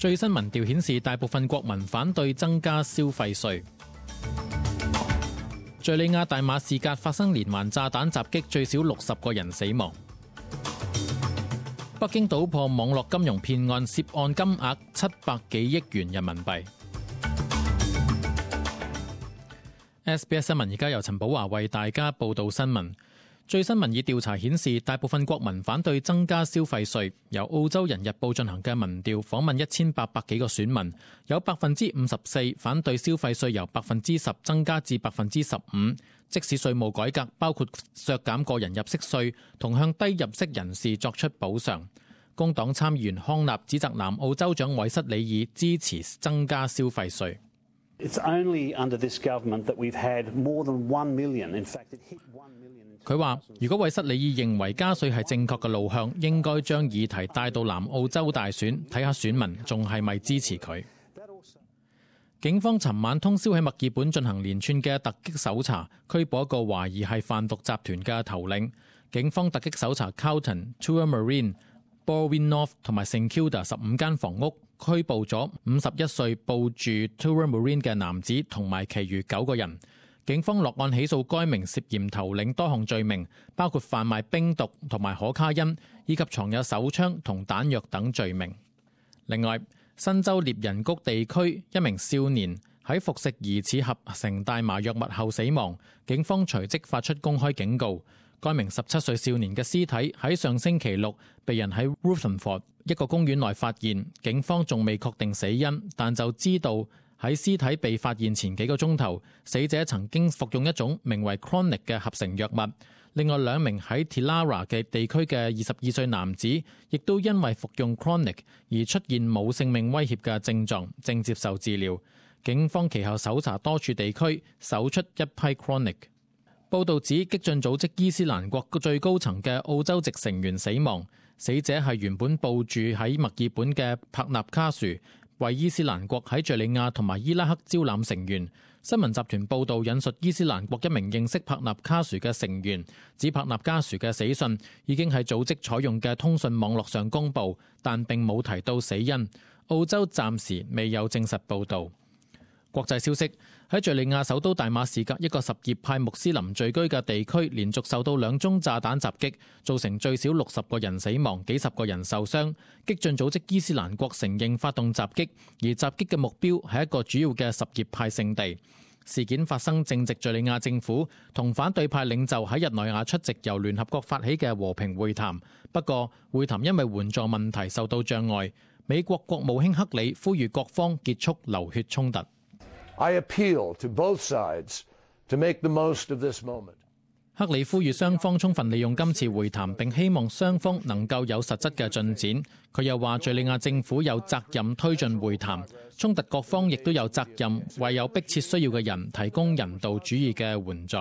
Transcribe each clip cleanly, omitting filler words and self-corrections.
最新民調顯示，大部分國民反對增加消費稅。敘利亞大馬士革發生連環炸彈襲擊，最少60個人死亡。北京搗破網絡金融騙案，涉案金額700幾億元人民幣。SBS 新聞而家由陳寶華為大家報道新聞。最新民意調查顯示，大部分國民反對增加消費稅。由澳洲人日報進行嘅民調訪問1800幾個選民，有54%反對消費稅由10%增加至15%。即使稅務改革包括削減個人入息稅同向低入息人士作出補償。工黨參議員康納指責南澳州長韋瑟里爾支持增加消費稅。佢話：如果韋瑟里爾認為加稅係正確嘅路向，應該將議題帶到南澳洲大選，睇下選民仲係咪支持佢。警方尋晚通宵喺墨爾本進行連串嘅突擊搜查，拘捕一個懷疑係販毒集團嘅頭領。警方突擊搜查 Carlton、Tullamarine、Balwyn North 同埋 St Kilda 15間房屋，拘捕咗51歲報住 Tullamarine 嘅男子同埋其餘9個人。警方落案起訴該名涉嫌頭領多項罪名，包括販賣冰毒同埋可卡因，以及藏有手槍同彈藥等罪名。另外，新州獵人谷地區一名少年喺服食疑似合成大麻藥物後死亡，警方隨即發出公開警告。該名17歲少年嘅屍體喺上星期六被人喺 Rutherford 一個公園內發現，警方仲未確定死因，但就知道喺屍體被發現前幾個鐘頭，死者曾經服用一種名為 Chronic 嘅合成藥物。另外2名喺 Tillara 嘅地區嘅22歲男子，亦都因為服用 Chronic 而出現冇性命威脅嘅症狀，正接受治療。警方其後搜查多處地區，搜出一批 Chronic。報道指激進組織伊斯蘭國最高層嘅澳洲籍成員死亡，死者係原本報駐喺墨爾本嘅帕納卡殊，為伊斯蘭國喺敘利亞同埋伊拉克招攬成員。新聞集團報道引述伊斯蘭國一名認識帕納卡殊嘅成員，指帕納卡殊嘅死訊已經喺組織採用嘅通訊網絡上公佈，但並冇提到死因。澳洲暫時未有證實報導。國際消息，喺敘利亞首都大馬士革一個什葉派穆斯林聚居嘅地區，連續受到2宗炸彈襲擊，造成最少60個人死亡，幾十個人受傷。激進組織伊斯蘭國承認發動襲擊，而襲擊嘅目標係一個主要嘅什葉派聖地。事件發生正值敘利亞政府同反對派領袖喺日內瓦出席由聯合國發起嘅和平會談，不過會談因為援助問題受到障礙。美國國務卿克里呼籲各方結束流血衝突。I appeal to both sides to make the most of this moment. 克里呼籲雙方充分利用今次會談，並希望雙方能夠有實質嘅進展。佢又話，敘利亞政府有責任推進會談，衝突各方亦都有責任為有迫切需要嘅人提供人道主義嘅援助。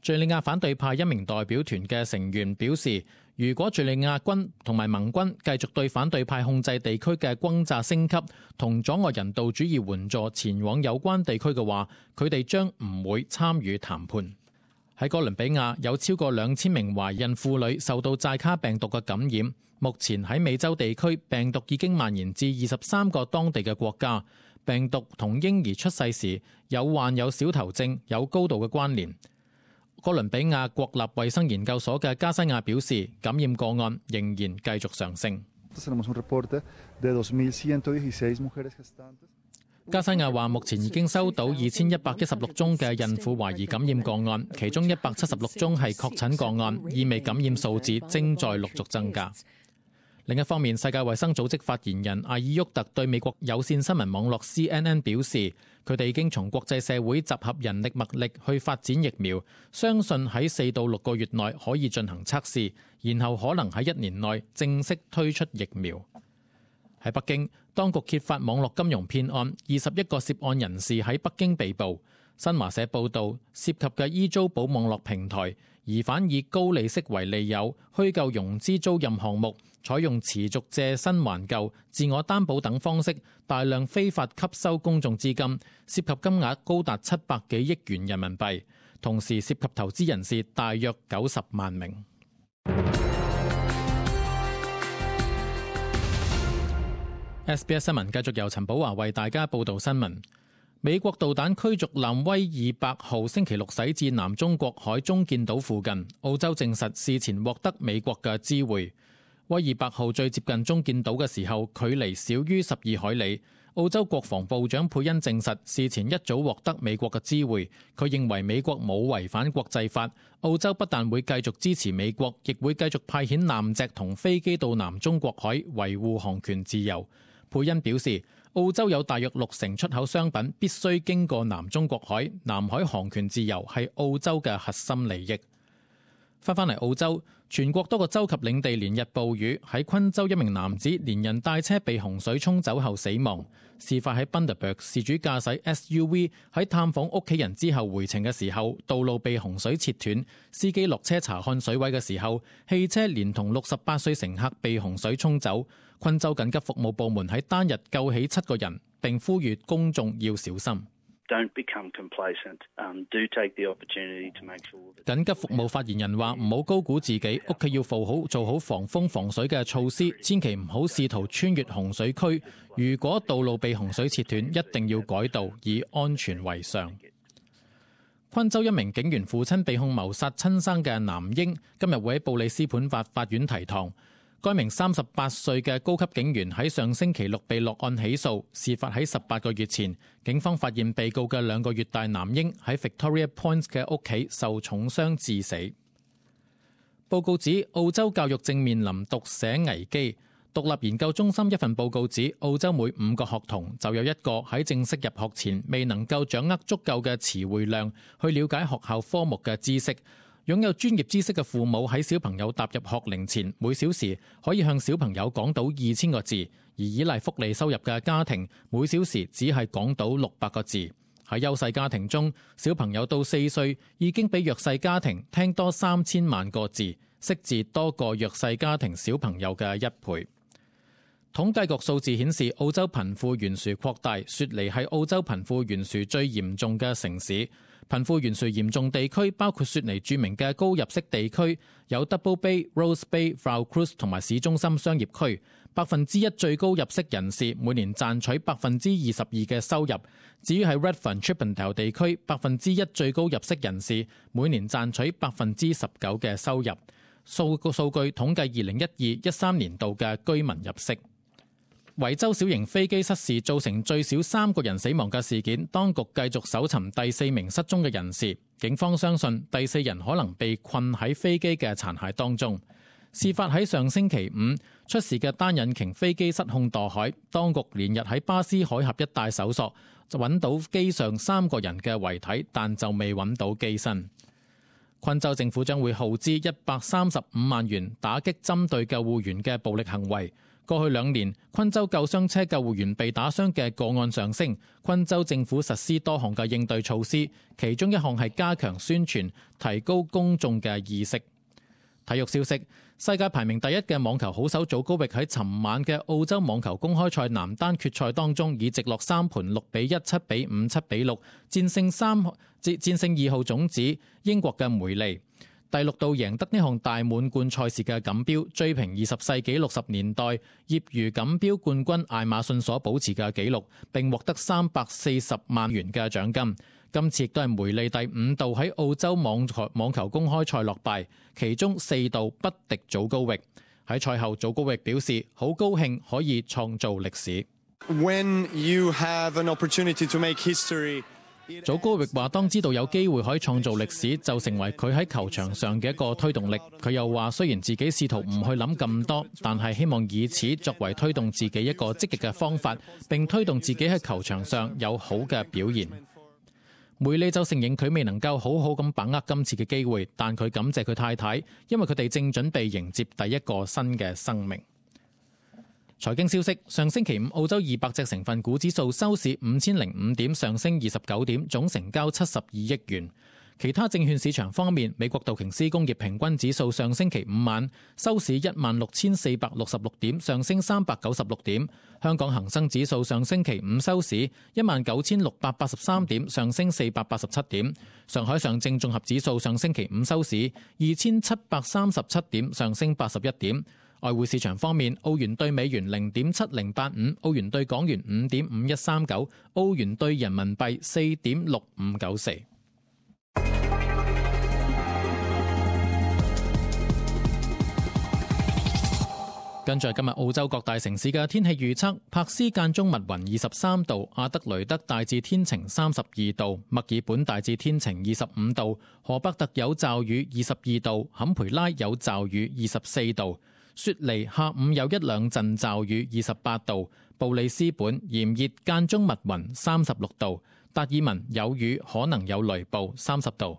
敘利亞反對派一名代表團嘅成員表示，如果敘利亞軍同埋盟軍繼續對反對派控制地區嘅轟炸升級，同阻礙人道主義援助前往有關地區嘅話，佢哋將唔會參與談判。喺哥倫比亞，有超過2000名懷孕婦女受到寨卡病毒嘅感染。目前喺美洲地區，病毒已經蔓延至23個當地嘅國家。病毒同嬰兒出世時患有小頭症有高度嘅關聯。哥倫比亞國立衛生研究所嘅加西亞表示，感染個案仍然繼續上升。加西亞話，目前已經收到2116宗嘅孕婦懷疑感染個案，其中176宗係確診個案，意味感染數字正在陸續增加。另一方面，世界衛生組織發言人阿爾沃特對美國有線新聞網絡 CNN 表示，佢哋已經從國際社會集合人力物力去發展疫苗，相信喺4到6個月內可以進行測試，然後可能喺1年內正式推出疫苗。喺北京，當局揭發網絡金融騙案，21個涉案人士喺北京被捕。新華社報道，涉及嘅依租寶網絡平台，疑犯以高利息為利誘，虛構融資租賃項目，採用持續借新還舊、自我擔保等方式，大量非法吸收公眾資金，涉及金額高達700幾億元人民幣，同時涉及投資人士大約90萬名。SBS 新聞繼續由陳寶華為大家報道新聞。美國導彈驅逐艦威爾伯號星期六駛至南中國海中建島附近，澳洲證實事前獲得美國嘅知會。威爾伯號最接近中建島嘅時候，距離少於12海里。澳洲國防部長佩恩證實事前一早獲得美國嘅知會，佢認為美國冇違反國際法。澳洲不但會繼續支持美國，亦會繼續派遣艦隻同飛機到南中國海維護航權自由。佩恩表示，澳洲有大約60%出口商品必須經過南中國海，南海航權自由係澳洲嘅核心利益。返嚟澳洲，全國多個州及領地連日暴雨，喺昆州一名男子連人帶車被洪水沖走後死亡。事發喺 Bundaberg， 事主駕駛 SUV 喺探訪屋企人之後回程嘅時候，道路被洪水切斷，司機落車查看水位嘅時候，汽車連同68歲乘客被洪水沖走。昆州緊急服務部門喺單日救起7個人，並呼籲公眾要小心。Don't become complacent. Do take the opportunity to make sure that... 緊急服務發言人話：唔好高估自己，屋企要做好防風防水嘅措施，千祈唔好試圖穿越洪水區。如果道路被洪水切斷，一定要改道，以安全為上。昆州一名警員父親被控謀殺親生嘅男嬰，今日會喺布里斯本法院提堂。該名38歲嘅高級警員喺上星期六被落案起訴，事發喺18個月前。警方發現被告嘅2個月大男嬰喺 Victoria Point 嘅屋企受重傷致死。報告指澳洲教育正面臨讀寫危機。獨立研究中心一份報告指，澳洲每5個學童就有1個喺正式入學前未能夠掌握足夠嘅詞彙量去了解學校科目嘅知識。擁有專業知識嘅父母喺小朋友踏入學齡前，每小時可以向小朋友講到2000個字，而依賴福利收入嘅家庭，每小時只係講到600個字。喺優勢家庭中，小朋友到4歲已經比弱勢家庭聽多3000萬個字，識字多過弱勢家庭小朋友嘅1倍。統計局數字顯示，澳洲貧富懸殊擴大，雪梨係澳洲貧富懸殊最嚴重嘅城市。貧富懸殊嚴重地區包括雪梨著名嘅高入息地區，有 Double Bay、Rose Bay、Vaucluse 同埋市中心商業區。1%最高入息人士每年賺取22%嘅收入。至於喺 Redfern、Chippendale 地區，1%最高入息人士每年賺取19%嘅收入。數據統計2012-13年度嘅居民入息。維州小型飛機失事造成最少3個人死亡嘅事件，當局繼續搜尋第4名失蹤嘅人士。警方相信第4人可能被困喺飛機嘅殘骸當中。事發喺上星期5，出事嘅單引擎飛機失控墮海，當局連日喺巴斯海峽一帶搜索，就揾到機上3個人嘅遺體，但就未揾到機身。昆州政府將會耗資135萬元打擊針對救護員嘅暴力行為。過去2年，昆州救傷車救護員被打傷嘅個案上升。昆州政府實施多項嘅應對措施，其中一項係加強宣傳，提高公眾嘅意識。體育消息：世界排名第1嘅網球好手祖高域喺尋晚嘅澳洲網球公開賽男單決賽當中，以直落3盤6-1、7-5、7-6戰勝2號種子英國嘅梅利。第6度贏得呢項大滿貫賽事嘅錦標，追平20世紀60年代業餘錦標冠軍艾馬遜所保持嘅紀錄，並獲得340萬元嘅獎金。今次亦都係梅利第5度喺澳洲網球公開賽落敗，其中4度不敵祖高域。喺賽後，祖高域表示好高興可以創造歷史。When you have an opportunity to make history,祖高域話：當知道有機會可以創造歷史，就成為佢喺球場上嘅一個推動力。佢又話：雖然自己試圖唔去諗咁多，但係希望以此作為推動自己一個積極嘅方法，並推動自己喺球場上有好嘅表現。梅利就承認佢未能夠好好咁把握今次嘅機會，但佢感謝佢太太，因為佢哋正準備迎接第一個新嘅生命。財經消息：上星期5，澳洲200隻成分股指數收市5005點，上升29點，總成交72億元。其他證券市場方面，美國道瓊斯工業平均指數上星期5晚收市16,466點，上升396點。香港恒生指數上星期5收市19,683點，上升487點。上海上證綜合指數上星期5收市2,737點，上升81點。外匯市場方面，澳元對美元0.7085，澳元對港元5.5139，澳元對人民幣4.6594。跟住今日澳洲各大城市嘅天氣預測：柏斯間中密雲23度，阿德雷德大致天晴32度，墨爾本大致天晴25度，荷伯特有驟雨22度，坎培拉有驟雨24度，雪梨下午有一兩陣驟雨28度，布里斯本炎熱間中密雲36度，達爾文有雨可能有雷暴30度。